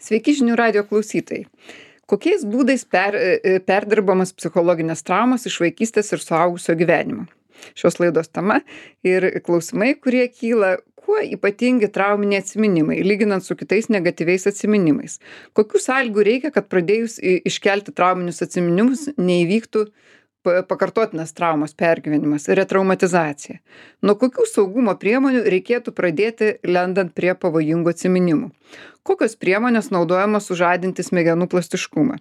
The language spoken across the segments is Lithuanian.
Sveiki žinių radijo klausytojai. Kokiais būdais perdirbamas psichologinės traumos iš vaikystės ir suaugusio gyvenimo? Šios laidos tema ir klausimai, kurie kyla, kuo ypatingi trauminiai atsiminimai, lyginant su kitais negatyviais atsiminimais. Kokių sąlygų reikia, kad pradėjus iškelti trauminius atsiminimus neįvyktų pakartotinas traumos pergyvenimas, retraumatizacija. Nuo kokių saugumo priemonių reikėtų pradėti lendant prie pavojingų atsiminimų? Kokios priemonės naudojamos sužadinti smegenų plastiškumą?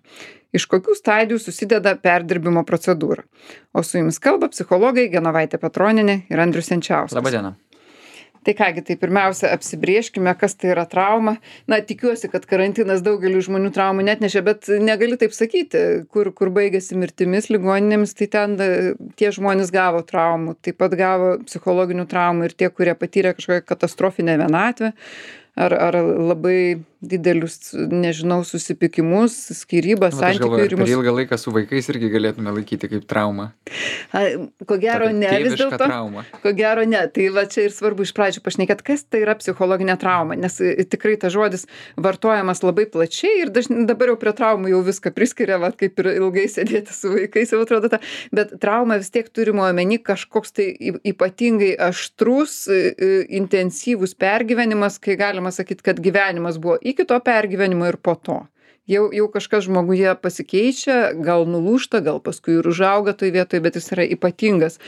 Iš kokių stadijų susideda perdirbimo procedūra? O su jumis kalba psichologai Genovaitė Petronienė ir Andrius Jančiauskas. Labadiena. Tai kągi, tai pirmiausia apsibrėžkime, kas tai yra trauma. Na, tikiuosi, kad karantinas daugeliu žmonių traumų netnešė, bet negali taip sakyti, kur baigėsi mirtimis, ligoninėmis, tai ten tie žmonės gavo traumų, taip pat gavo psichologinių traumų ir tie, kurie patyrė kažkokią katastrofinę vienatvę ar labai didelius, nežinau, susipykimus, skyrybas, santykių irimus. Per ilgą laiką su vaikais irgi galėtume laikyti kaip traumą. Ko gero ne, vis dėlto. Trauma. Ko gero ne. Tai va čia ir svarbu iš pradžių pašnekėti, kas tai yra psichologinė trauma, nes tikrai tas žodis vartojamas labai plačiai ir dabar jau prie traumų jau viską priskiria, va, kaip ir ilgai sėdėti su vaikais, jau atrodo ta. Bet trauma vis tiek turimo omeny kažkoks tai ypatingai aštrus, intensyvus pergyvenimas, kai galima sakyti, kad gyvenimas buvo iki to pergyvenimo ir po to. Jau kažkas žmoguje pasikeičia, gal nulūžta, gal paskui ir užauga toj vietoj, bet jis yra ypatingas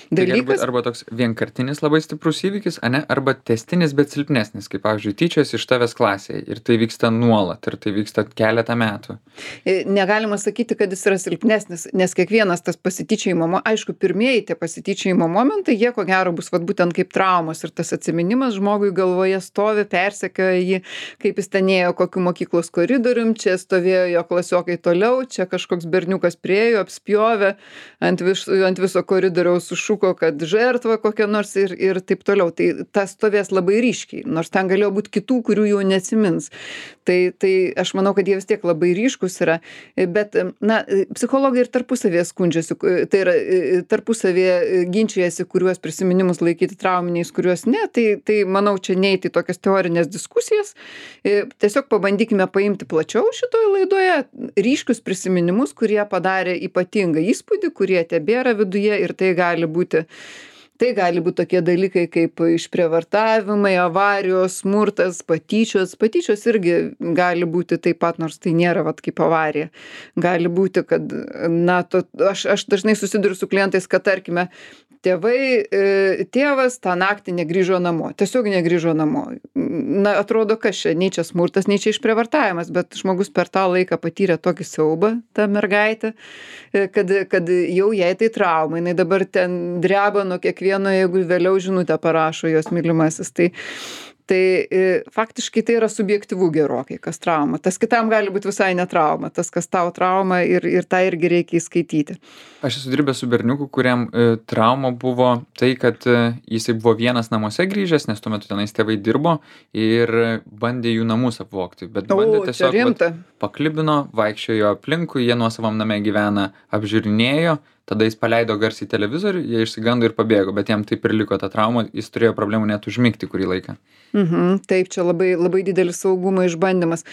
dalykas. Arba toks vienkartinis labai stiprus įvykis, arba tęstinis, bet silpnesnis, kaip pavyzdžiui, tyčios iš tavęs klasėje ir tai vyksta nuolat ir tai vyksta keletą metų. Negalima sakyti, kad jis yra silpnesnis, nes kiekvienas tas pasityčiojimo, aišku, pirmieji tie pasityčiojimo momentai, jie ko gero bus vat būtent kaip traumos ir tas atsiminimas žmogui galvoje stovi, persekioja jį, kaip jis ten ėjo kokiu mokyklos koridorium, čia stovėjo jo klasiokai toliau, čia kažkoks berniukas priėjo, apspjovė ant viso koridoriaus sušūko, kad žertva kokia nors ir taip toliau. Tai tas stovės labai ryškiai, nors ten galėjo būti kitų, kurių jau neatsimins. Tai aš manau, kad jie vis tiek labai ryškus yra. Bet, na, psichologai ir tarpusavėje skundžiasi, tai yra tarpusavėje ginčijasi, kuriuos prisiminimus laikyti trauminiais, kuriuos ne. Tai manau, čia neiti į tokias teorinės diskusijas. Tiesiog pabandykime paimti plačiau šitoje laidoje ryškius prisiminimus, kurie padarė ypatingą įspūdį, kurie tebėra viduje ir tai gali būti tokie dalykai kaip išprievartavimai, avarijos, smurtas, patyčios. Patyčios irgi gali būti taip pat, nors tai nėra vat kaip avarija. Gali būti, kad, na, aš dažnai susiduriu su klientais, kad, tarkime, tėvas tą naktį negrįžo namo, tiesiog negrįžo namo. Na, atrodo, kas čia, nei čia smurtas, nei čia išprievartavimas, bet žmogus per tą laiką patyrė tokį siaubą, ta mergaitė, kad jau jai tai trauma, jinai dabar ten dreba nuo kiekvieno, jeigu vėliau žinutę parašo jos mylimasis. Tai faktiškai tai yra subjektyvu gerokai, kas trauma. Tas kitam gali būti visai ne trauma, tas, kas tau trauma ir tą irgi reikia įskaityti. Aš esu dirbęs su berniuku, kuriam trauma buvo tai, kad jisai buvo vienas namuose grįžęs, nes tuo metu tenais tėvai dirbo ir bandė jų namus apvogti. Bet bandė tiesiog paklibino, vaikščiojo aplinkui, jie nuosavam name gyvena, apžiūrinėjo. Tada jis paleido garsiai televizorių, jie išsigando ir pabėgo, bet jam taip ir liko ta trauma, jis turėjo problemų net užmigti kurį laiką. Taip, čia labai, labai didelis saugumo išbandymas.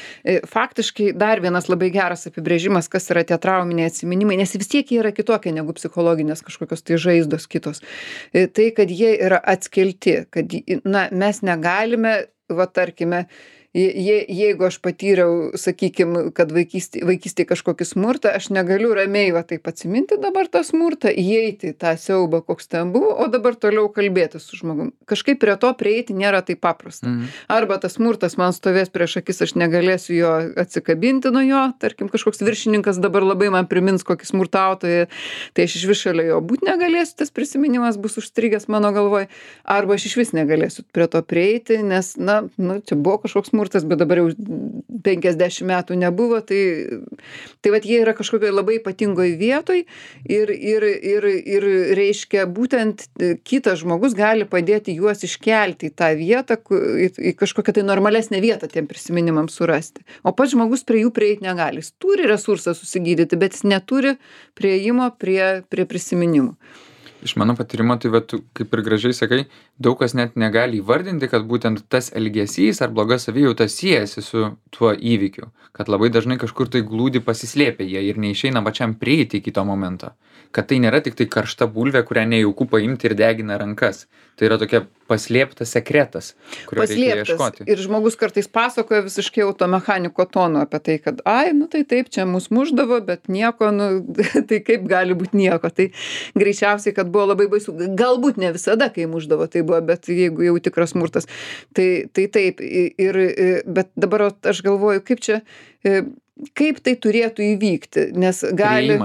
Faktiškai dar vienas labai geras apibrėžimas, kas yra tie trauminiai atsiminimai, nes vis tiek jie yra kitokie negu psichologinės kažkokios tai žaizdos kitos. Tai, kad jie yra atskilti, kad, na, mes negalime, va, tarkime, jeigu aš patyriau, sakykim, kad vaikystėje kažkokį smurtą, aš negaliu ramiai va taip atsiminti dabar tą smurtą, įeiti į tą siaubą, koks ten buvo, o dabar toliau kalbėti su žmogum. Kažkaip prie to prieiti nėra taip paprasta. Arba tas smurtas man stovės prieš akis, aš negalėsiu jo atsikabinti nuo jo, tarkim, kažkoks viršininkas dabar labai man primins kokį smurtautoją, tai aš išvis šalia jo būti negalėsiu, tas prisiminimas bus užstrigęs mano galvoj, arba aš išvis negalėsiu prie to prieiti, nes, na, čia buvo kažkoks smurtas, bet dabar jau 50 metų nebuvo, tai vat jie yra kažkokioje labai ypatingoje vietoje ir reiškia būtent kitas žmogus gali padėti juos iškelti į tą vietą, į kažkokią tai normalesnę vietą tiem prisiminimams surasti. O pats žmogus prie jų prieiti negali. Jis turi resursą susigydyti, bet jis neturi prieimo prie prisiminimų. Iš mano patyrimo, tai tu kaip ir gražiai sakai, daug kas net negali įvardinti, kad būtent tas elgesys ar bloga savijauta siejasi su tuo įvykiu. Kad labai dažnai kažkur tai glūdi pasislėpę jie ir neišeina pačiam prieiti iki to momento. Kad tai nėra tik tai karšta bulvė, kurią nejauku paimti ir degina rankas. Tai yra tokia paslėptas sekretas, kurio reikia ieškoti. Ir žmogus kartais pasakoja visiškai automechaniko tonu apie tai, kad nu tai taip, čia mus muždavo, bet nieko, tai kaip gali būti nieko. Tai greičiausiai, kad buvo labai baisu. Galbūt ne visada, kai muždavo, tai buvo, bet jeigu jau tikras smurtas, tai taip. Bet dabar aš galvoju, kaip tai turėtų įvykti, nes gali...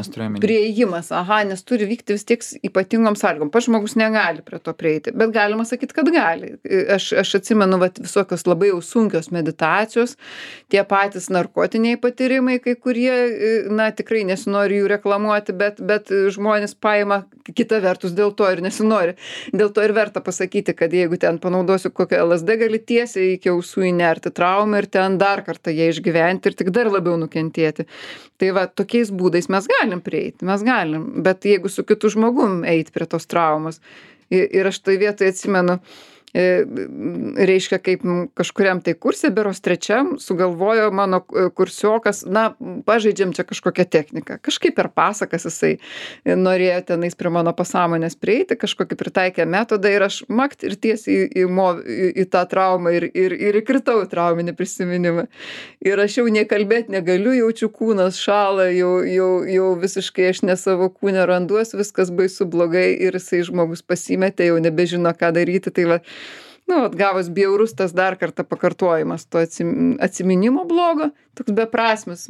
Priėjimas, nes turi vykti vis tiek ypatingom sąlygom. Pats žmogus negali prie to prieiti, bet galima sakyti, kad gali. Aš atsimenu visokios labai jau sunkios meditacijos, tie patys narkotiniai patyrimai, kai kurie, tikrai nesinori jų reklamuoti, bet žmonės paima kita vertus dėl to ir nesinori. Dėl to ir verta pasakyti, kad jeigu ten panaudosiu kokią LSD, gali tiesiai iki ausų įnerti traumą ir ten dar kartą ją išgyventi ir tik dar labiau nukentėti. Tai tokiais būdais mes galim prieiti, bet jeigu su kitu žmogum eit prie tos traumos. Ir aš tai vietoj atsimenu, reiškia, kaip kažkuriam tai kurse, beros trečiam, sugalvojo mano kursiokas, pažaidžiam čia kažkokią techniką. Kažkaip per pasakas jisai norėjo tenais prie mano pasąmonės prieiti, kažkokį pritaikė metodą ir aš makt ir tiesiai į tą traumą ir įkritau į trauminį prisiminimą. Ir aš jau nekalbėti negaliu, jaučiu kūnas šąla, jau visiškai aš ne savo kūne randuos, viskas baisu blogai ir jisai žmogus pasimetė, jau nebežino, ką daryti. Tai gavos bjaurus tas dar kartą pakartojimas to atsiminimo blogo, toks beprasmis,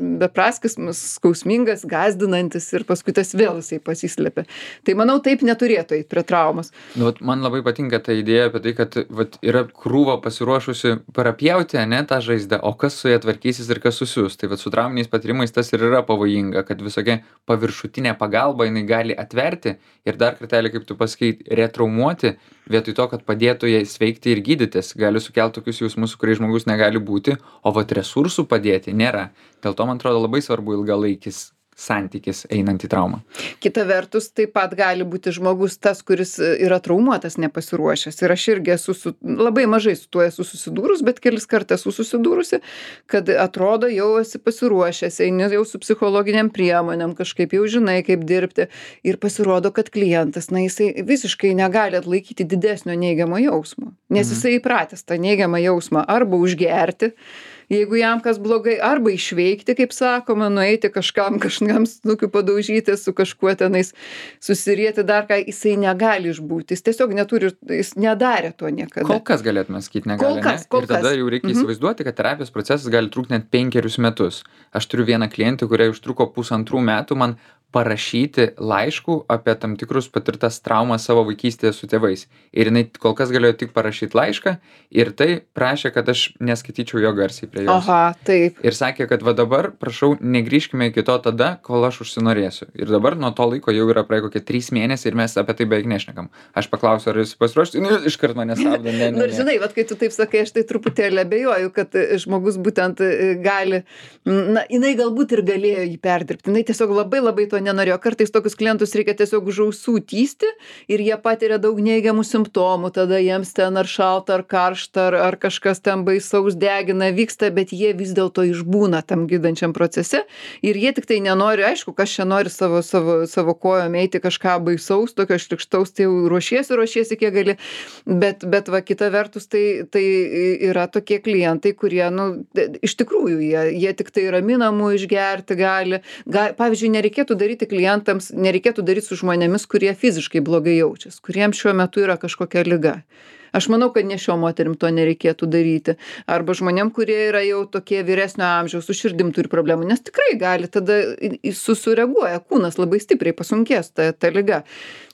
skausmingas, gąsdinantis ir paskui tas vėl jisai pasislėpia. Tai manau, taip neturėtų eiti prie traumos. Man labai patinka ta idėja apie tai, kad yra krūva pasiruošusi parapjauti, tą žaizdą, o kas su ja tvarkysis ir kas susius. Tai su trauminiais patyrimais tas ir yra pavojinga, kad visokia paviršutinė pagalba jinai gali atverti ir dar kartelį, kaip tu pasakei, retraumuoti, vietoj to, kad padėtų jai sveikti ir gydytis, gali sukelti tokius jausmus, su kuriais žmogus negali būti, o resursų padėti nėra. Dėl to, man atrodo, labai svarbu ilgalaikis santykis einant į traumą. Kita vertus, taip pat gali būti žmogus tas, kuris yra traumuotas, nepasiruošęs. Ir aš irgi labai mažai su tuo esu susidūrus, bet kelis kartus esu susidūrusi, kad atrodo jau esi pasiruošęs, eini jau su psichologiniam priemonėm, kažkaip jau žinai, kaip dirbti. Ir pasirodo, kad klientas, jisai visiškai negali atlaikyti didesnio neigiamo jausmo. Nes jisai įpratęs tą neigiamą jausmą arba užgerti, jeigu jam kas blogai, arba išveikti, kaip sakoma, nueiti kažkam snukiu padaužyti, su kažkuo tenais susirieti dar ką, jisai negali išbūti. Jis tiesiog neturi, jis nedarė to niekada. Kol kas galėtume sakyti negali. Ir tada jau reikia įsivaizduoti, kad terapijos procesas gali trukti net 5 metus. Aš turiu vieną klientę, kuriai užtruko 1,5 metų man parašyti laiškų apie tam tikrus patirtas traumas savo vaikystėje su tėvais. Ir jinai kol kas galėjo tik parašyti laišką ir tai prašė, kad aš neskaityčiau jo garsiai prie jos. Taip. Ir sakė, kad dabar, prašau, negrįžkime iki to tada, kol aš užsinorėsiu. Ir dabar nuo to laiko jau yra praėjo kokie 3 mėnesiai ir mes apie tai beveik nešnekam. Aš paklausiu, ar jis pasiruošti, iškart mane stabdo. Ir žinai, kai tu taip sakai, aš tai truputėlį abejoju, kad žmogus būtent gali, jinai galbūt ir galėjo jį perdirbti. Jinai tiesiog labai to nenorėjo. Kartais tokius klientus reikia tiesiog už ausų tįsti ir jie patiria daug neigiamų simptomų, tada jiems ten ar šalta, ar karšta, ar kažkas ten baisaus degina vyksta, bet jie vis dėlto išbūna tam gydančiam procese ir jie tik tai nenori, aišku, kas čia nori savo kojom eiti kažką baisaus, tokio šlikštaus, tai jau ruošiesi kiek gali, bet kita vertus tai yra tokie klientai, kurie, iš tikrųjų, jie tik tai raminamų išgerti gali. Pavyzdžiui, nereikėtų daryti su žmonėmis, kurie fiziškai blogai jaučiasi, kuriems šiuo metu yra kažkokia liga. Aš manau, kad ne šiom moterim to nereikėtų daryti. Arba žmonėm, kurie yra jau tokie vyresnio amžiaus, su širdim turi problemų, nes tikrai gali, tada sureaguoja, kūnas labai stipriai pasunkės ta liga.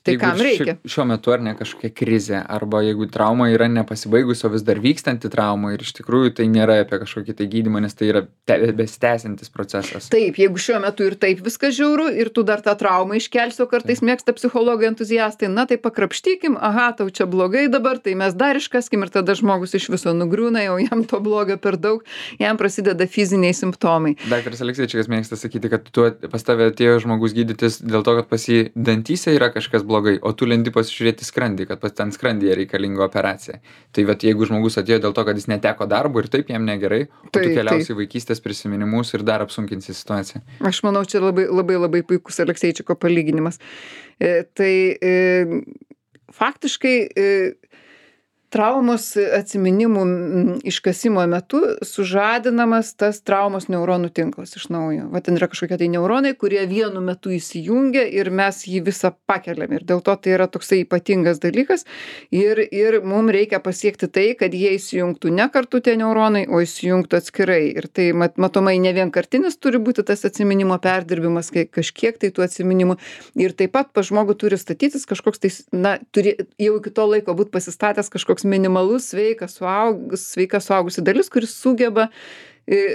Tai jeigu kam reikia? Šiuo metu ar ne kažkokia krizė, arba jeigu trauma yra nepasibaigus, o vis dar vykstanti trauma ir iš tikrųjų tai nėra apie kažkokį tai gydymą, nes tai yra besitęsiantis procesas. Taip, jeigu šiuo metu ir taip viskas žiauru ir tu dar tą traumą iškelsi, o kartais mėgsta psichologai entuziastai, tai pakrapštykim, tau čia blogai dabar, tai mes dar iškaskim ir tada žmogus iš viso nugriūna, jau jam to blogio per daug, jam prasideda fiziniai simptomai. Daktaras Alekseičikas mėgsta sakyti, kad pas tave atėjo žmogus gydytis dėl to, kad pas jį dantyse yra kažkas blogai. blogai, o tu lendi pasižiūrėti skrandį, kad ten skrandyje reikalinga operacija. Tai vat jeigu žmogus atėjo dėl to, kad jis neteko darbo ir taip jam negerai, o tu keliausi vaikystės prisiminimus ir dar apsunkinsi situaciją. Aš manau, čia labai puikus Alekseičiko palyginimas. Faktiškai traumos atsiminimų iškasimo metu sužadinamas tas traumos neuronų tinklas iš naujo. Va ten yra kažkokie tai neuronai, kurie vienu metu įsijungia ir mes jį visą pakeliam. Ir dėl to tai yra toksai ypatingas dalykas. Ir mums reikia pasiekti tai, kad jie įsijungtų ne kartu tie neuronai, o įsijungtų atskirai. Ir tai matomai ne vienkartinis turi būti tas atsiminimo perdirbimas, kai kažkiek tai tų atsiminimų. Ir taip pat pas žmogų turi statytis kažkoks tai, turi jau iki to laiko būti pasistatęs kažkoks minimalus sveika suaugusi dalis, kuris sugeba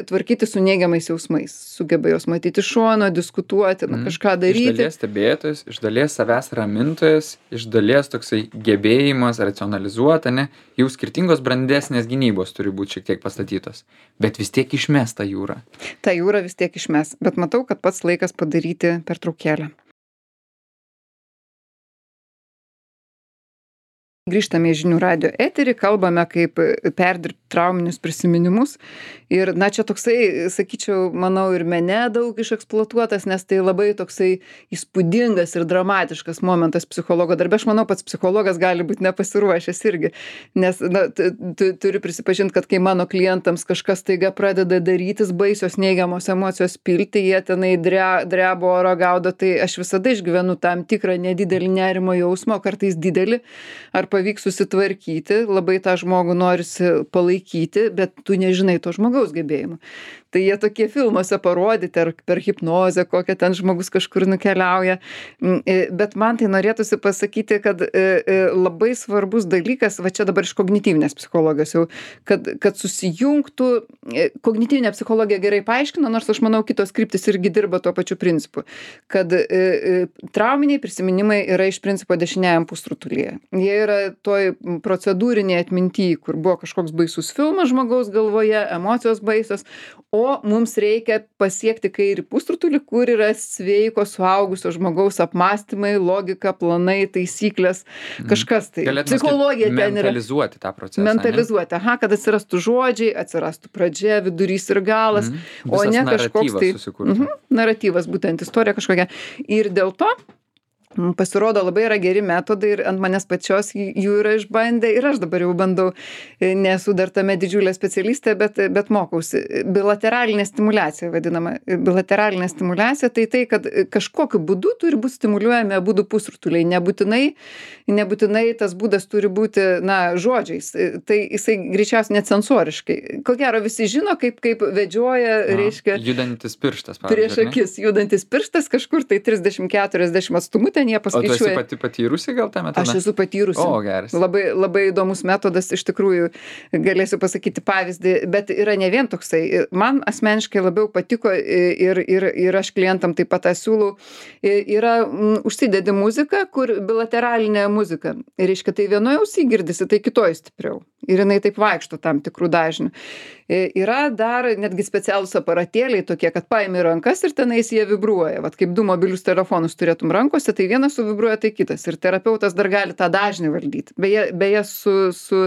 tvarkyti su neigiamais jausmais, sugeba jos matyti iš šono, diskutuoti, kažką daryti. Iš dalies stebėtojas, iš dalies savęs ramintojas, iš dalies toksai gebėjimas racionalizuoti, ne, jau skirtingos brandesnės gynybos turi būti šiek tiek pastatytos, bet vis tiek išmes tą jūrą. Ta jūra vis tiek išmes, bet matau, kad pats laikas padaryti pertraukėlę. Grįžtame į Žinių radijo eterį, kalbame, kaip perdirbti trauminius prisiminimus. Ir, čia toksai, sakyčiau, manau, ir mene daug išeksploatuotas, nes tai labai toksai įspūdingas ir dramatiškas momentas psichologo darbe. Aš manau, pats psichologas gali būti nepasiruošęs irgi. Nes, turiu prisipažinti, kad kai mano klientams kažkas taiga pradeda darytis, baisios neigiamos emocijos pilti, jie tenai drebo oro gaudo, tai aš visada išgyvenu tam tikrą nedidelį nerimo jausmą, kartais didelį, ar pavyks susitvarkyti, labai tą žmogų norisi palaikyti, bet tu nežinai to žmogaus gebėjimų. Tai jie tokie filmuose parodyti, ar per hipnozę, kokią ten žmogus kažkur nukeliauja. Bet man tai norėtųsi pasakyti, kad labai svarbus dalykas, va čia dabar iš kognityvinės psichologijos jau, kad susijungtų, kognityvinė psichologija gerai paaiškina, nors aš manau, kitos kryptis irgi dirba tuo pačiu principu, kad trauminiai prisiminimai yra iš principo dešiniajam pusrutulyje. Jie yra toj procedūrinėje atmintyje, kur buvo kažkoks baisus filmas žmogaus galvoje, emocijos baisios, o mums reikia pasiekti kairį pusrutulį, kur yra sveiko suaugusio žmogaus apmąstymai, logika, planai, taisyklės, kažkas tai. Psichologija ten yra. Mentalizuoti tą procesą. Mentalizuoti, kad atsirastų žodžiai, atsirastų pradžia, vidurys ir galas, o ne kažkoks tai naratyvas, būtent istorija kažkokia. Ir dėl to pasirodo labai yra geri metodai ir ant manęs pačios jų yra išbandę ir aš dabar jau bandau, nesu dar tame didžiulė specialistė, bet mokausi. Bilateralinė stimuliacija vadinama. Bilateralinė stimuliacija tai, kad kažkokiu būdu turi būti stimuliuojami abudu pusrutuliai. Nebūtinai tas būdas turi būti, žodžiais. Tai jisai greičiausiai necensoriškai. Ko gero visi žino, kaip vedžioja, reiškia. Judantis pirštas, pavyzdžiui. Prieš akis judantis pirštas kažkur tai 30-40 atstumu ten jie paskaičiuoja. O tu esi patyrusi gal tą metodą? Aš esu patyrusi. O, geras. Labai įdomus metodas, iš tikrųjų galėsiu pasakyti pavyzdį, bet yra ne vien toksai. Man asmeniškai labiau patiko ir aš klientam taip pat tą siūlau. Yra užsidedi muzika, kur bilateralinė muzika. Reiškia, tai vienoje ausy girdisi, tai kitoje stipriau. Ir jinai taip vaikšto tam tikrų dažnių. Yra dar netgi specialūs aparatėliai tokie, kad paimi rankas ir tenais jie vibruoja. Vat kaip du mobilius telefonus turėtum rankose, tai vienas suvibruoja, tai kitas. Ir terapeutas dar gali tą dažnį valdyti. Beje su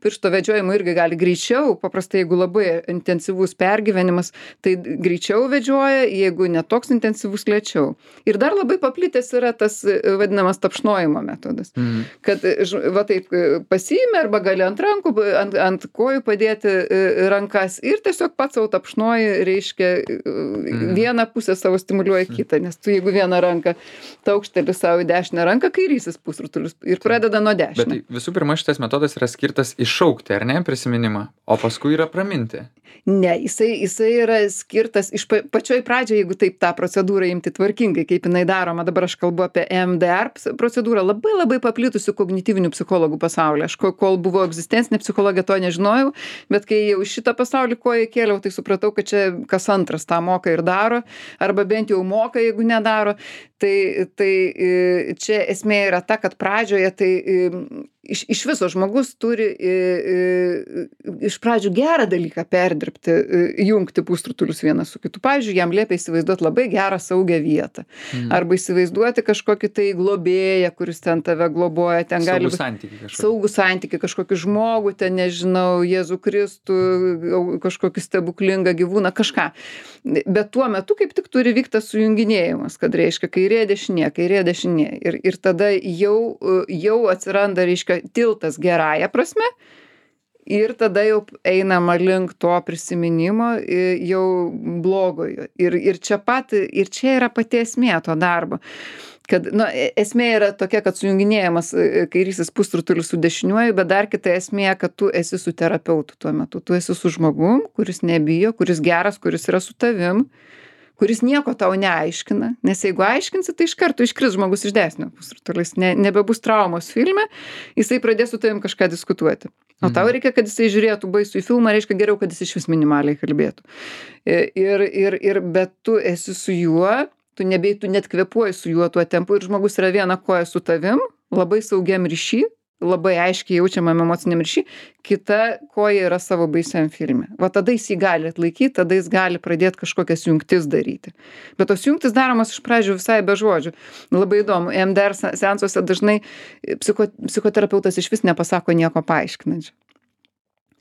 piršto vedžiojimu irgi gali greičiau, paprastai jeigu labai intensyvus pergyvenimas, tai greičiau vedžioja, jeigu netoks intensyvus lėčiau. Ir dar labai paplitęs yra tas vadinamas tapšnojimo metodas. Kad va taip pasiimi arba gali ant rankų, ant kojų padėti rankas ir tiesiog pats savo tapšnoji, reiškia, vieną pusę savo stimuliuoja kitą, nes tu jeigu vieną ranką taukšteli savo į dešinę ranką, kairysis pusrutulis ir pradeda nuo dešinio. Bet tai visų pirma šitas metodas yra skirtas iššaukti, ar ne, prisiminimą, o paskui yra praminti. Ne, jisai yra skirtas pačioj pradžioje, jeigu taip tą procedūrą imti tvarkingai, kaip jinai daroma. Dabar aš kalbu apie EMDR procedūrą, labai paplitusių kognityvinių psichologų pasaulyje. Aš kol buvo egzistencinė psichologija, to nežinojau, bet kai jau šitą pasaulį koją kėliau, tai supratau, kad čia kas antras tą moka ir daro, arba bent jau moka, jeigu nedaro. čia esmė yra ta, kad pradžioje tai iš viso žmogus turi iš pradžių gerą dalyką perdirbti, jungti pusrutulius vieną su kitu. Pavyzdžiui, jam liepia įsivaizduoti labai gerą saugią vietą. Arba įsivaizduoti kažkokį tai globėją, kuris ten tave globoja. Ten gali būti saugų santykiai, kažkokį žmogų, ten nežinau, Jėzų Kristų, kažkokį stebuklingą gyvūną, kažką. Bet tuo metu kaip tik turi vykti tas sujunginėjimas, kad reiškia kairė dešinė. Ir tada jau atsiranda, reiškia, tiltas gerąja prasme ir tada jau einama link to prisiminimo jau blogojo. Ir čia yra pati esmė to darbo. Kad, esmė yra tokia, kad sujunginėjamas kairysis pusrutulis su dešiniuoju, bet dar kita esmė, kad tu esi su terapeutu tuo metu. Tu esi su žmogum, kuris nebijo, kuris geras, kuris yra su tavim, kuris nieko tau neaiškina, nes jeigu aiškinsi, tai iš karto iškris žmogus iš dešinio pusrutulis, nebebus traumos filme, jisai pradės su tavim kažką diskutuoti. O tau reikia, kad jisai žiūrėtų baisų į filmą, reiškia geriau, kad jis iš vis minimaliai kalbėtų. Bet tu esi su juo, tu net kvėpuoji su juo tuo tempu ir žmogus yra viena koja su tavim, labai saugiam ryšy, labai aiškiai jaučiamam emociniam ryšy, kita koja yra savo baisiam filme. Va tada jis jį gali atlaikyti, tada jis gali pradėti kažkokias jungtis daryti. Bet tos jungtis daromos iš pradžių visai be žodžių. Labai įdomu, EMDR seansuose dažnai psichoterapeutas iš vis nepasako nieko paaiškinančio.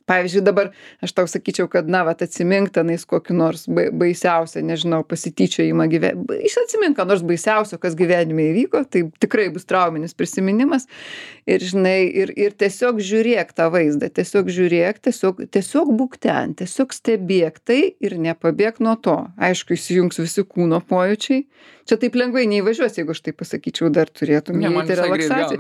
Pavyzdžiui, dabar aš tau sakyčiau, kad atsimink tenais kokį nors baisiausią, nežinau, pasityčiojimą gyvenime. Atsimink, ką nors baisiausio, kas gyvenime įvyko, tai tikrai bus trauminis prisiminimas. Ir žinai, ir tiesiog žiūrėk tą vaizdą, tiesiog būk ten, tiesiog stebėk tai ir nepabėk nuo to. Aišku, įsijungs visi kūno pojūčiai. Čia taip lengvai neįvažiuos, jeigu aš tai pasakyčiau, dar turėtum įeiti relaksaciją.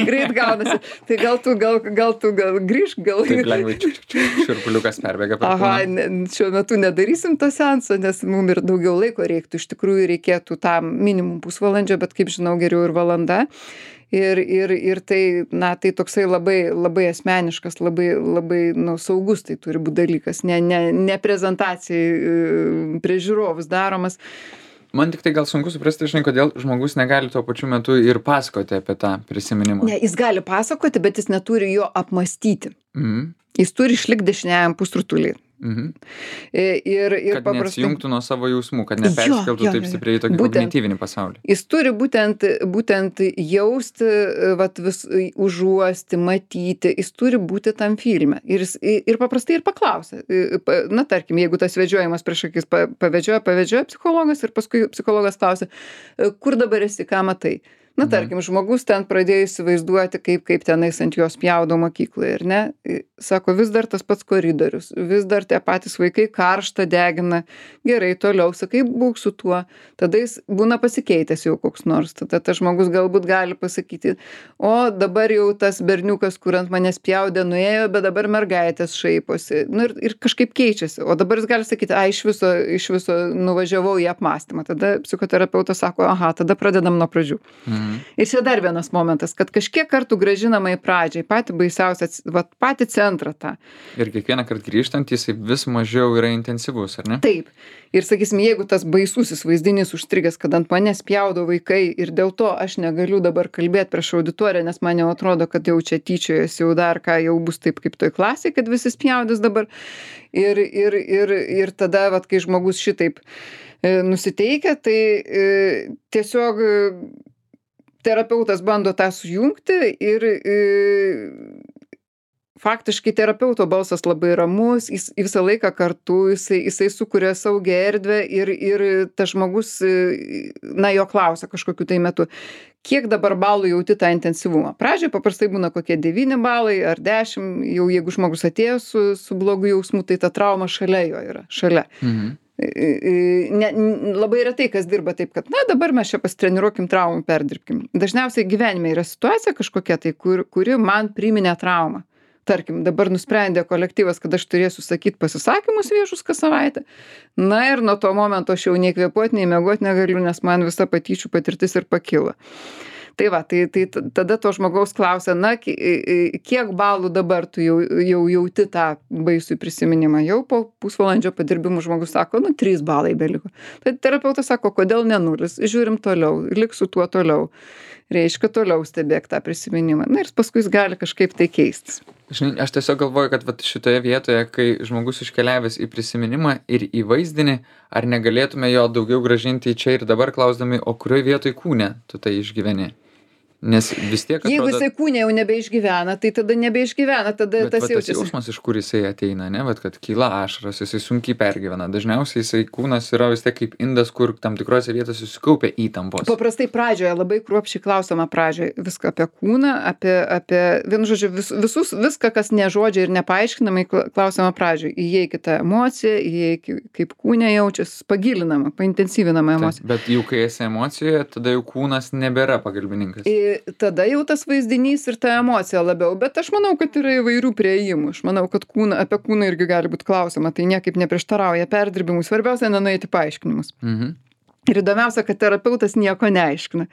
Greit gaunasi. Tai gal tu grįžk, gal... Taip lengvai širpuliukas perbėga per kūną. Šiuo metu nedarysim to seanso, nes mums ir daugiau laiko reiktų. Iš tikrųjų reikėtų tam minimum pusvalandžio, bet kaip žinau, geriau ir valanda. Ir tai toksai labai, labai asmeniškas, labai saugus tai turi būti dalykas, ne prezentacijai prie žiūrovus daromas. Man tik tai gal sunku suprasti, žinai, kodėl žmogus negali tuo pačiu metu ir pasakoti apie tą prisiminimą. Ne, jis gali pasakoti, bet jis neturi jo apmąstyti. Jis turi išlikti dešiniajam pusrutulyje. Kad neatsijungtų nuo savo jausmų, kad neperskeltų taip stipriai į tokį kognityvinį pasaulį. Jis turi būtent jausti, užuosti, matyti, jis turi būti tam filme. Ir paprastai ir paklausia. Tarkim, jeigu tas vedžiojimas prieš akis pavedžioja psichologas ir paskui psichologas klausia, kur dabar esi, ką matai? Tarkim, žmogus ten pradėjo įsivaizduoti, kaip tenais ant jos pjaudo mokykloje, ar ne? Sako, vis dar tas pats koridorius, vis dar tie patys vaikai karštą degina. Gerai, toliau, sakai, būk su tuo. Tada jis būna pasikeitęs jau koks nors. Tada tas žmogus galbūt gali pasakyti, o dabar jau tas berniukas, kur ant manęs pjaudė, nuėjo, bet dabar mergaitės šaiposi. Ir kažkaip keičiasi. O dabar jis gali sakyti, iš viso nuvažiavau į apmąstymą. Tada psichoterapeutas sako, tada pradedam nuo pradžių. Ir čia dar vienas momentas, kad kažkiek kartų grąžinama į pradžią, patį baisiausią, patį centrą tą. Ir kiekvieną kartą grįžtant, jisai vis mažiau yra intensyvus, ar ne? Taip. Ir sakysim, jeigu tas baisusis vaizdinys užstrigęs, kad ant manęs pjaudo vaikai ir dėl to aš negaliu dabar kalbėti prieš auditoriją, nes man jau atrodo, kad jau čia tyčiojasi, jau dar ką, jau bus taip kaip toj klasėje, kad visi spjaudys dabar. Ir tada, kai žmogus šitaip nusiteikia, tai tiesiog terapeutas bando tą sujungti ir faktiškai terapeuto balsas labai ramus, jis visą laiką kartu, jisai sukuria saugią erdvę ir tas žmogus, jo klausia kažkokiu tai metu, kiek dabar balų jauti tą intensyvumą. Pradžioje paprastai būna kokie 9 balai ar 10, jau jeigu žmogus atėjo su blogu jausmu, tai ta trauma šalia jo yra, šalia. Labai retai kas dirba taip, kad dabar mes čia pasitreniruokim traumų, perdirbkim. Dažniausiai gyvenime yra situacija kažkokia tai, kuri man priminė traumą. Tarkim, dabar nusprendė kolektyvas, kad aš turėsiu sakyti pasisakymus viešus kas savaitę. Ir nuo to momento aš jau nei kvėpuoti, nei miegoti negaliu, nes man visa patyčių patirtis ir pakilo. Tai va, tai tada to žmogaus klausia, na, kiek balų dabar tu jau jauti tą baisų prisiminimą. Jau po pusvalandžio padirbimų žmogus sako, nu, 3 balai beliko. Tai terapeutas sako, kodėl ne 0, žiūrim toliau, lik su tuo toliau. Reiškia, toliau stebėk tą prisiminimą. Na ir paskui jis gali kažkaip tai keistis. Žinai, aš tiesiog galvoju, kad vat šitoje vietoje, kai žmogus iškeliavęs į prisiminimą ir į vaizdinį, ar negalėtume jo daugiau grąžinti į čia ir dabar klausdami, o kurioje vietoje kūne tu tai išgyveni? Nes vis tiek atrodo... Jeigu jisai kūne jau nebeišgyvena, tai tada nebeišgyvena, tada tas jaučiasi. Bet jausmas, iš kur jisai ateina, ne? Vat, kad kyla ašaros, jisai sunkiai pergyvena. Dažniausiai jisai kūnas yra vis tiek kaip indas, kur tam tikrose vietose susikaupia įtampos. Paprastai pradžioje labai kruopščiai klausoma pradžioje viską apie kūną, apie vienu žodžiu, viską, kas ne žodžiai ir nepaaiškinamai klausoma pradžioje. Įeikite emociją, kaip kūne jaučiasi, pagilinama, paintensyvinama emocija. Bet jau kai esi emocijoje, tada jau kūnas nebėra pagalbininkas. Tada jau tas vaizdinys ir ta emocija labiau, bet aš manau, kad yra įvairių prieimų. Aš manau, kad apie kūną irgi gali būti klausima, tai niekaip neprieštarauja perdirbimui. Svarbiausia, nenueiti paaiškinimus. Ir įdomiausia, kad terapeutas nieko neaiškina.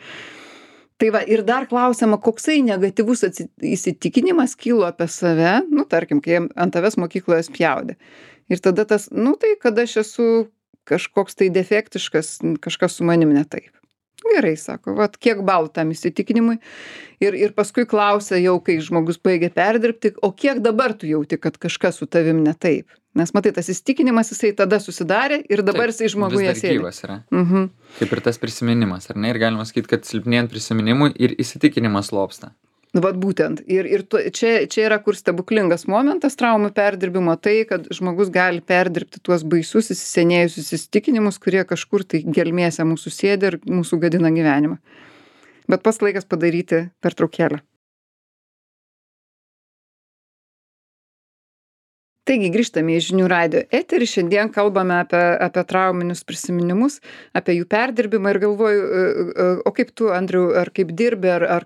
Tai va, ir dar klausima, koksai negatyvus įsitikinimas kilo apie save, nu, tarkim, kai ant tavęs mokykloje spjaudė. Ir tada tas, nu, tai kad aš esu kažkoks tai defektiškas, kažkas su manim ne taip. Gerai, sako, vat kiek balų tam įsitikinimui. Ir paskui klausia jau, kai žmogus baigia perdirbti, o kiek dabar tu jauti, kad kažkas su tavim ne taip. Nes matai, tas įsitikinimas jisai tada susidarė ir dabar jisai žmoguje sėdi. Vis dar gyvas yra. Kaip ir tas prisiminimas, ar ne? Ir galima sakyti, kad silpnėjant prisiminimui ir įsitikinimas lopsta. Vat būtent. Ir čia yra kur stebuklingas momentas traumų perdirbimo, tai, kad žmogus gali perdirbti tuos baisius įsisenėjusius įsitikinimus, kurie kažkur tai gelmėse mūsų sėdi ir mūsų gadina gyvenimą. Bet pats laikas padaryti pertraukėlę. Taigi grįžtame į Žinių radijo eterį, šiandien kalbame apie trauminius prisiminimus, apie jų perdirbimą ir galvoju, o kaip tu, Andriau, ar kaip dirbi, ar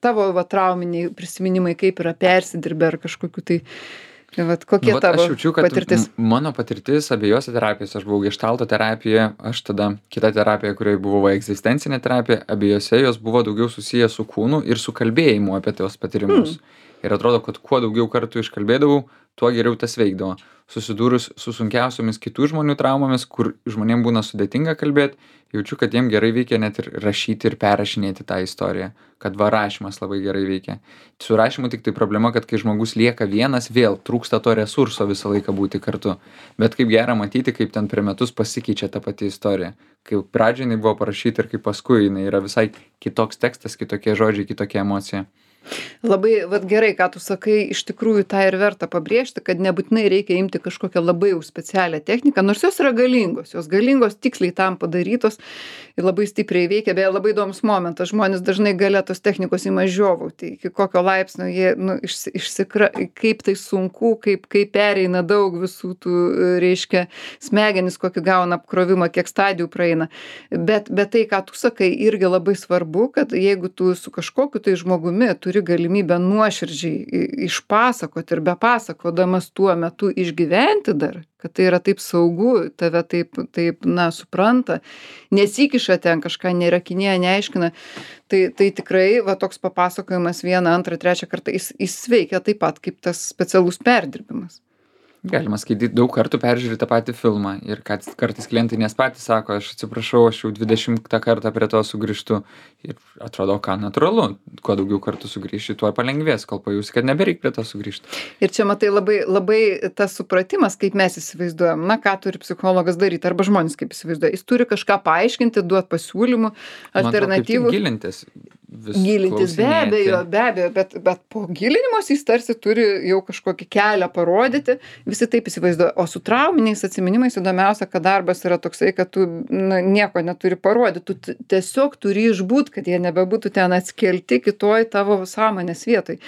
tavo trauminiai prisiminimai kaip yra persidirbę, ar kažkokiu tai, kokie tavo aš jaučiu, kad patirtis? Mano patirtis abiejose terapijose, aš buvau geštalto terapija, aš tada kita terapija, kurioje buvo egzistencinė terapija, abiejose jos buvo daugiau susiję su kūnu ir su kalbėjimu apie tos patyrimus. Ir atrodo, kad kuo daugiau kartų iškalbėdavau, tuo geriau tas veikdavo. Susidūrus su sunkiausiomis kitų žmonių traumomis, kur žmonėm būna sudėtinga kalbėti, jaučiu, kad jiem gerai veikia net ir rašyti ir perrašinėti tą istoriją. Kad rašymas labai gerai veikia. Su rašymu tik tai problema, kad kai žmogus lieka vienas, vėl trūksta to resurso visą laiką būti kartu. Bet kaip gera matyti, kaip ten per metus pasikeičia ta pati istorija. Kaip pradžiai jinai buvo parašyta ir kaip paskui jinai yra visai kitoks tekstas, kitokie žodžiai, kitokia emocija. Labai gerai, ką tu sakai, iš tikrųjų tą ir verta pabrėžti, kad nebūtinai reikia imti kažkokią labai jau specialią techniką, nors jos yra galingos, tiksliai tam padarytos ir labai stipriai veikia, beje, labai įdomus momentas, žmonės dažnai gale tos technikos ima žiovauti, iki kokio laipsnio jie, kaip tai sunku, kaip pereina daug visų tų, reiškia, smegenis, kokį gauna apkrovimą, kiek stadijų praeina, bet tai, ką tu sakai, irgi labai svarbu, kad jeigu tu su kažkokiu tai žmogumi turi galimybę nuoširdžiai išpasakoti ir bepasakodamas tuo metu išgyventi dar, kad tai yra taip saugu, tave taip supranta, nesikiša ten kažką, neįrakinėja, neaiškina, tai tikrai toks papasakojimas 1, 2, 3 kartą, jis veikia taip pat kaip tas specialus perdirbimas. Galima skaityti daug kartų peržiūrėti tą patį filmą ir kad kartais klientai nes patys sako, aš atsiprašau, aš jau 20 kartą prie to sugrįžtu ir atrodo, ką natūralu, kuo daugiau kartų sugrįžti, tuo palengvės, kol pajusi, kad nebereik prie to sugrįžti. Ir čia matai labai tas supratimas, kaip mes įsivaizduojam, ką turi psicologas daryti, arba žmonės kaip įsivaizduoja, jis turi kažką paaiškinti, duoti pasiūlymų, alternatyvų. Gilintis be abejo, bet po gilinimos jis tarsi turi jau kažkokį kelią parodyti, visi taip įsivaizduoja, o su trauminiais atsiminimais įdomiausia, kad darbas yra toksai, kad tu nieko neturi parodyti, tu tiesiog turi išbūt, kad jie nebebūtų ten atskelti kitoj tavo sąmonės vietoj.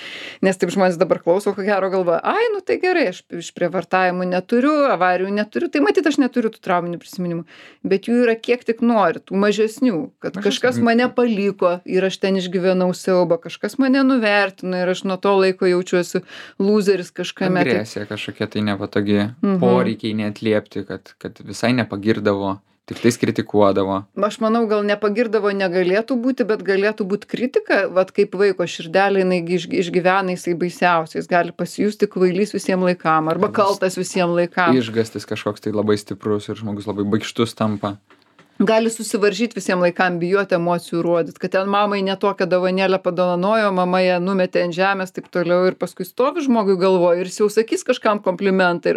Nes taip žmonės dabar klauso, ko gero galvoja, tai gerai, aš išprievartavimų neturiu, avarijų neturiu, tai matyt, aš neturiu tų trauminių prisiminimų, bet jų yra kiek tik nori, tų mažesnių, kad kažkas mane paliko ir aš ten ten išgyvenau siaubą, kažkas mane nuvertino ir aš nuo to laiko jaučiuosi lūzeris kažkame. Agresija kažkokia tai nepatogi, poreikiai neatliepti, kad visai nepagirdavo. Tik tais kritikuodavo. Aš manau, gal nepagirdavo negalėtų būti, bet galėtų būti kritika, vat kaip vaiko širdelė, jinai išgyvena, jisai baisiausiai, jis gali pasijusti kvailys visiems laikam, arba kaltas visiems laikam. Išgąstis kažkoks tai labai stiprus ir žmogus labai baikštus tampa. Gali susivaržyti visiems laikam, bijoti emocijų rodyti, kad ten mamai netokią dovanėlę padovanojo, mama ją numetė ant žemės, taip toliau, ir paskui stovi žmogui galvoje ir jis jau sakys kažkam komplimentą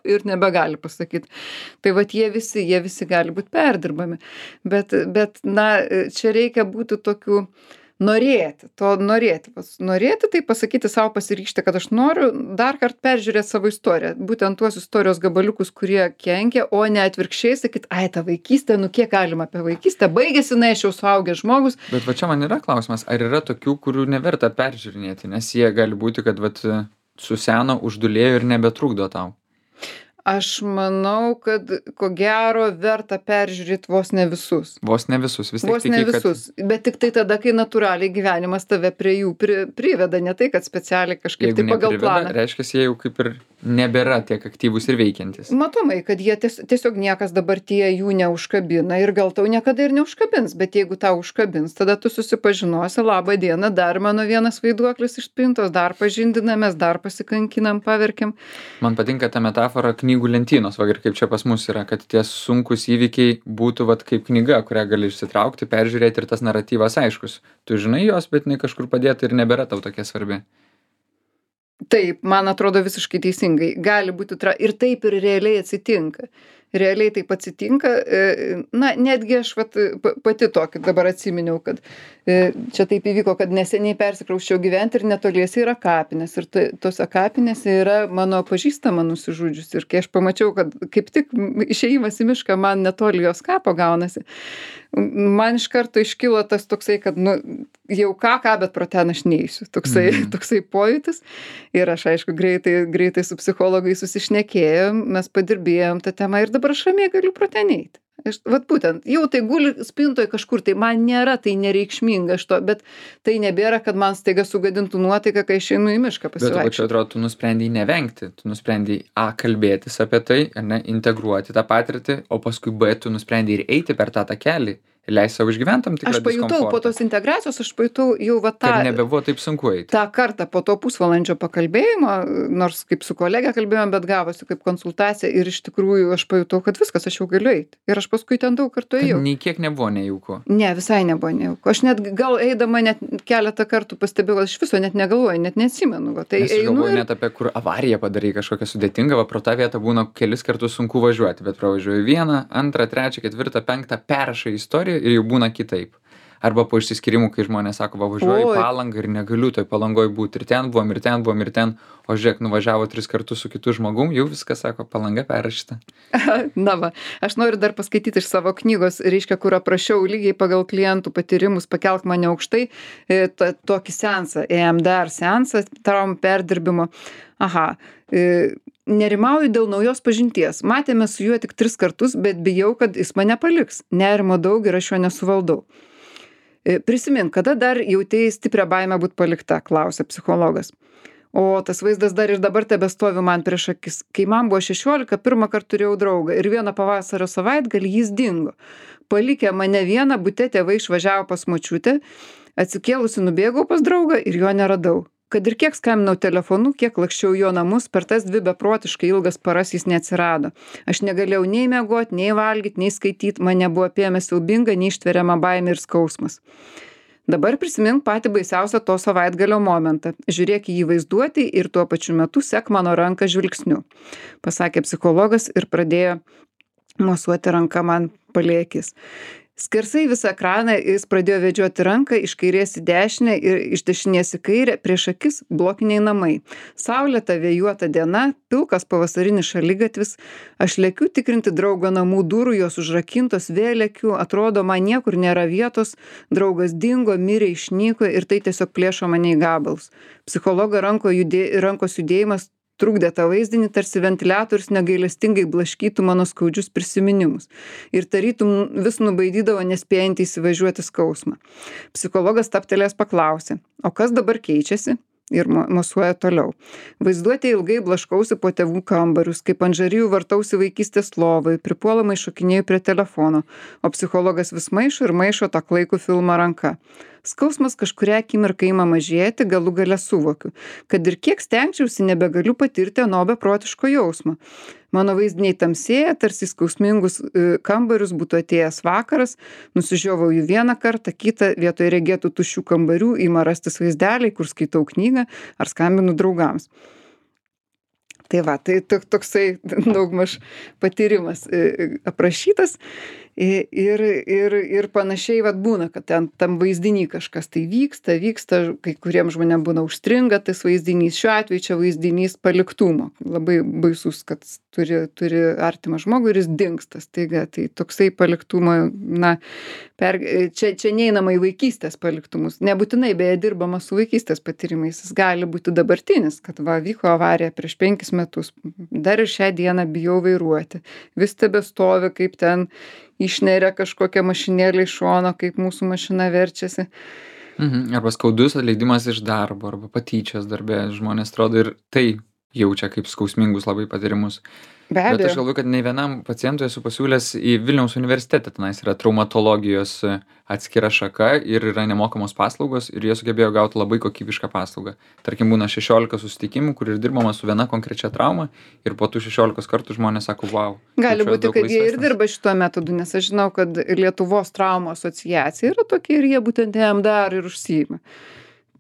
ir nebegali pasakyti. Tai vat jie visi gali būti perdirbami. Bet, na, čia reikia būti tokiu norėti, tai pasakyti savo, pasiryžti, kad aš noriu dar kartą peržiūrėti savo istoriją, būtent tuos istorijos gabaliukus, kurie kenkia, o ne atvirkščiai sakyt, ai, ta vaikystė, nu kiek galima apie vaikystę, baigėsi, na, aš jau suaugęs žmogus. Bet va čia man yra klausimas, ar yra tokių, kurių neverta peržiūrinėti, nes jie gali būti, kad vat suseno, uždulėjo ir nebetrukdo tau. Aš manau, kad ko gero verta peržiūrėti vos ne visus. Vos ne visus, vis tiek vos ne visus. Bet tik tai tada, kai natūraliai gyvenimas tave prie jų priveda, ne tai, kad specialiai kažkaip tai pagal planą. Reiškia, jie jau kaip ir nebėra tiek aktyvūs ir veikiantis. Matomai, kad jie tiesiog niekas dabartyje jų neužkabina ir gal tau niekada ir neužkabins, bet jeigu tau užkabins, tada tu susipažinosi, labą dieną, dar mano vienas vaiduoklis iš spintos, dar pažindinamės, dar pasikankinam, paverkiam. Man patinka ta metafora knygų lentynos, va ir kaip čia pas mus yra, kad tie sunkus įvykiai būtų vat kaip knyga, kurią gali išsitraukti, peržiūrėti ir tas naratyvas aiškus. Tu žinai jos, bet jinai kažkur padėta ir nebėra tau tokia svarbi. Taip, man atrodo visiškai teisingai. Gali būti ir taip ir realiai atsitinka. Realiai taip atsitinka. Na, netgi aš pati tokį dabar atsiminiau, kad čia taip įvyko, kad neseniai persikrausčiau gyventi ir netoliese yra kapinės. Ir tose kapinėse yra mano pažįstama nusižudžius. Ir kai aš pamačiau, kad kaip tik išėjimas į mišką man netoli jos kapo gaunasi, man iš karto iškilo tas toksai, kad nu, jau ką, bet pro ten aš neįsiu. Toksai pojūtis. Ir aš, aišku, greitai su psichologai susišnekėjom, mes padirbėjom tą temą ir dabar aš ramiai galiu pro ten eiti. Vat būtent, jau tai guli spintoj kažkur, tai man nėra tai nereikšminga bet tai nebėra, kad man staiga sugadintų nuotaiką, kai aš einu į mišką pasivaikščioti. Bet čia atrodo, tu nusprendei nevengti, tu nusprendei kalbėtis apie tai, ne, integruoti tą patirtį, o paskui tu nusprendei ir eiti per tą takelį. Leis savo išgyventam tikrą diskomfortą. Aš pajutau po tos integracijos, aš pajutau jau tą... Kad nebebuvo taip sunku eiti. tą kartą po to pusvalandžio pakalbėjimo, nors kaip su kolegė kalbėjom, bet gavosi kaip konsultacija ir iš tikrųjų aš pajutau, kad viskas, aš jau galiu eiti. Ir aš paskui ten daug kartų ėjau. Nei kiek nebuvo nejauku. Ne, visai nebuvo nejauku. Aš net gal eidama net keletą kartų pastebėjau, aš viso net negalvoju, net neatsimenu. Tai aš galvoju net apie kur avariją padarai kažkokią sudėtingą, pro tą vietą būna kelis kartus sunku važiuoti, bet pravažiuoju 1, 2, 3, 4, 5, perrašai istoriją ir jau būna kitaip. Arba po išsiskyrimų, kai žmonės sako, važiuoju į Palangą ir negaliu toj Palangoj būti. Ir ten buvom, o žiūrėk, nuvažiavo 3 kartus su kitu žmogum, jau viskas, sako, Palanga perrašyta. Na va, aš noriu dar paskaityti iš savo knygos, reiškia, kur aprašiau lygiai pagal klientų patyrimus, pakelk mane aukštai, tokį seansą, EMDR seansą, traumų perdirbimo. Nerimauju dėl naujos pažinties. Matėme su juo tik 3 kartus, bet bijau, kad jis mane paliks. Nerimo daug ir aš jo nesuvaldau. Prisimink, kada dar jautėjai stiprią baimę būt palikta, klausė psichologas. O tas vaizdas dar ir dabar tebestovi man prieš akis. Kai man buvo 16, pirmą kartą turėjau draugą ir vieną pavasario savaitgalį jis dingo. Palikę mane vieną, bute tėvai išvažiavo pas močiutę, atsikėlusi nubėgau pas draugą ir jo neradau. Kad ir kiek skambinau telefonu, kiek lakščiau jo namus, per tas 2 beprotiškai ilgas paras jis neatsirado. Aš negalėjau nei miegoti, nei valgyti, nei skaityti, mane buvo apėmęs siaubinga, neištveriama baimė ir skausmas. Dabar prisimink patį baisiausią to savaitgalio momentą. Žiūrėk į jį vaizduoti ir tuo pačiu metu sek mano ranką žvilgsniu, pasakė psichologas ir pradėjo mosuoti ranką man palei akis. Skersai visą ekraną jis pradėjo vedžioti ranką iš kairės į dešinę ir iš dešinės į kairę, prieš akis blokiniai namai. Saulėta vėjuota diena, pilkas pavasarinis šaligatvis, aš lekiu tikrinti draugo namų durų, jos užrakintos, vėl lekiu, atrodo, man niekur nėra vietos, draugas dingo, mirė, išnyko ir tai tiesiog plėšo mane į gabalus. Psichologo rankos judėjimas trukdė tą vaizdinį, tarsi ventiliatorius negailestingai blaškytų mano skaudžius prisiminimus. Ir tarytum vis nubaidydavo nespėjantį įsivažiuoti skausmą. Psichologas stabtelėjęs paklausė, o kas dabar keičiasi? Ir mosuoja toliau. Vaizduotė ilgai blaškausi po tėvų kambarius, kaip ant žarijų vartausi vaikystės lovai, pripuolamai šokinėjau prie telefono, o psichologas vis maišo ir maišo tą klaikų filmą ranka. Skausmas kažkuria akimirką ima mažėti, galų gale suvokiu, kad ir kiek stengčiausi, nebegaliu patirti ano beprotiško jausmo. Mano vaizdiniai tamsėja, tarsi skausmingus kambarius būtų atėjęs vakaras, nusižiovauju vieną kartą, kitą vietoj regėtų tuščių kambarių ima rastis vaizdeliai, kur skaitau knygą ar skambinu draugams. Tai va, tai toksai daugmaž patyrimas aprašytas ir panašiai vat būna, kad ten tam vaizdiny kažkas tai vyksta, kai kuriem žmonėm būna užstringa tas vaizdinys. Šiuo atveju čia vaizdinys paliktumo. Labai baisus, kad turi artimą žmogų ir jis dingsta staiga. Tai toksai paliktumo, čia neinama į vaikystės paliktumus. Nebūtinai, beje, dirbama su vaikystės patyrimais. Jis gali būti dabartinis, kad vyko avarija prieš 5 metus. Dar ir šią dieną bijau vairuoti. Vis tebestovi, kaip ten išneria kažkokią mašinėlę iš šono, kaip mūsų mašina verčiasi. Arba skaudus atleidimas iš darbo, arba patyčios darbe. Žmonės atrodo ir tai jaučia kaip skausmingus labai patyrimus. Be abejo. Bet aš galvoju, kad nei vienam pacientui esu pasiūlęs į Vilniaus universitetą, tenais yra traumatologijos atskira šaka ir yra nemokamos paslaugos ir jie sugebėjo gauti labai kokybišką paslaugą. Tarkim, būna 16 susitikimų, kur ir dirbama su viena konkrečia trauma ir po tų 16 kartų žmonės sako, wow. Gali būti, kad jie ir dirba šituo metodu, nes aš žinau, kad Lietuvos traumų asociacija yra tokia ir jie būtent jam dar ir užsiima.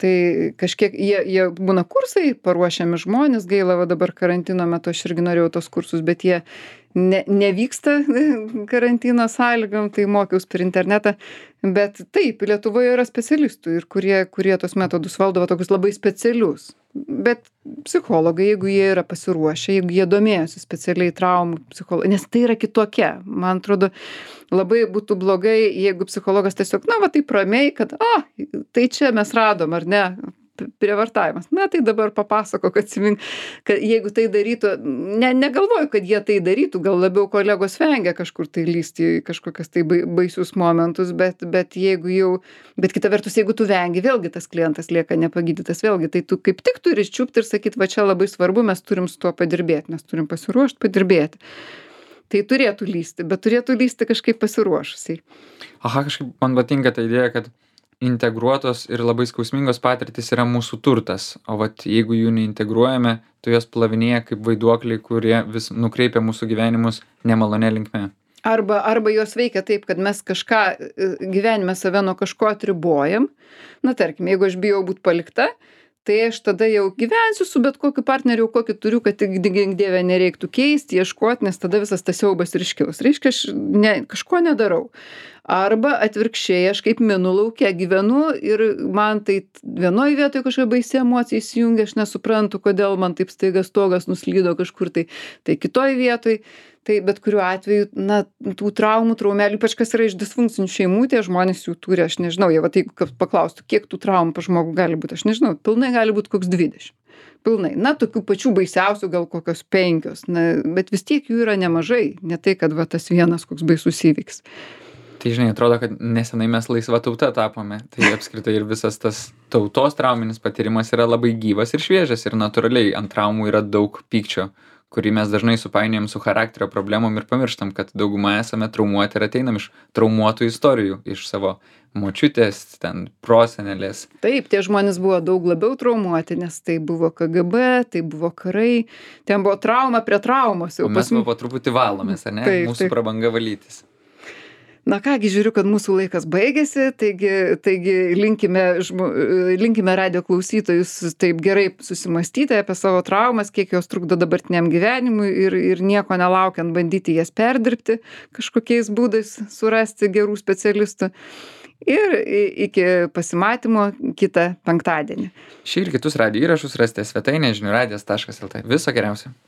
Tai kažkiek jie būna kursai, paruošiami žmonės, gaila, va dabar karantino metu aš irgi norėjau tos kursus, bet jie nevyksta karantino sąlygom, tai mokiaus per internetą. Bet taip, Lietuvoje yra specialistų ir kurie tos metodus valdavo tokius labai specialius. Bet psichologai, jeigu jie yra pasiruošę, jeigu jie domėjosi specialiai traumų psichologija, nes tai yra kitokia. Man atrodo, labai būtų blogai, jeigu psichologas tiesiog, taip ramiai, kad, tai čia mes radom, ar ne, prievartavimas. Tai dabar papasakok, atsimink, kad jeigu tai darytų, negalvoju, kad jie tai darytų, gal labiau kolegos vengia kažkur tai lysti į kažkokias tai baisius momentus, bet kita vertus, jeigu tu vengi, vėlgi tas klientas lieka nepagydytas, vėlgi, tai tu kaip tik turi čiupti ir sakyti, va čia labai svarbu, mes turim su tuo padirbėti, mes turim pasiruošti padirbėti. Tai turėtų lysti, bet turėtų lysti kažkaip pasiruošusiai. Kažkaip man patinka ta idėja, kad integruotos ir labai skausmingos patirtys yra mūsų turtas, o jeigu jų neintegruojame, tai jos plavinėja kaip vaiduokliai, kurie vis nukreipia mūsų gyvenimus nemalonė linkme. Arba jos veikia taip, kad mes kažką gyvenime save nuo kažko atribojam. Tarkim, jeigu aš bijau būti palikta, tai aš tada jau gyvensiu su bet kokiu partneriu, kokį turiu, kad tik gink dieve nereiktų keisti, ieškoti, nes tada visas tas siaubas ir iškils. Reiškia, aš kažko nedarau. Arba atvirkščiai, aš kaip minų lauke gyvenu ir man tai vienoje vietoje kažkokia baisi emocija įsijungia, aš nesuprantu, kodėl man taip staiga stogas nuslydo kažkur tai kitoje vietoje. Tai bet kuriuo atveju, tų traumelių, ypač kas yra iš disfunkcinių šeimų, tie žmonės jų turi, aš nežinau, jeigu paklaustų, kiek tų traumų pas žmogų gali būti, aš nežinau, pilnai gali būti koks 20. Pilnai. Tokių pačių baisiausių gal kokios 5, bet vis tiek jų yra nemažai, ne tai, kad tas vienas koks baisus įvykis. Tai žinai, atrodo, kad nesenai mes laisva tauta tapome, tai apskritai ir visas tas tautos trauminis patyrimas yra labai gyvas ir šviežias ir natūraliai ant traumų yra daug pykčio, kurį mes dažnai supainiojam su charakterio problemom ir pamirštam, kad dauguma esame traumuoti ir ateinam iš traumuotų istorijų, iš savo močiutės, ten prosenelės. Taip, tie žmonės buvo daug labiau traumuoti, nes tai buvo KGB, tai buvo karai, ten buvo trauma prie traumos. O mes po truputį valomės, ar ne? Taip, mūsų prabanga valytis. Kągi, žiūriu, kad mūsų laikas baigėsi, taigi linkime radijo klausytojus taip gerai susimastyti apie savo traumas, kiek jos trukdo dabartiniam gyvenimui ir nieko nelaukiant bandyti jas perdirbti, kažkokiais būdais surasti gerų specialistų. Ir iki pasimatymo kitą penktadienį. Šį ir kitus radijo įrašus rasite svetainėje žinių radijas.lt. Viso geriausio.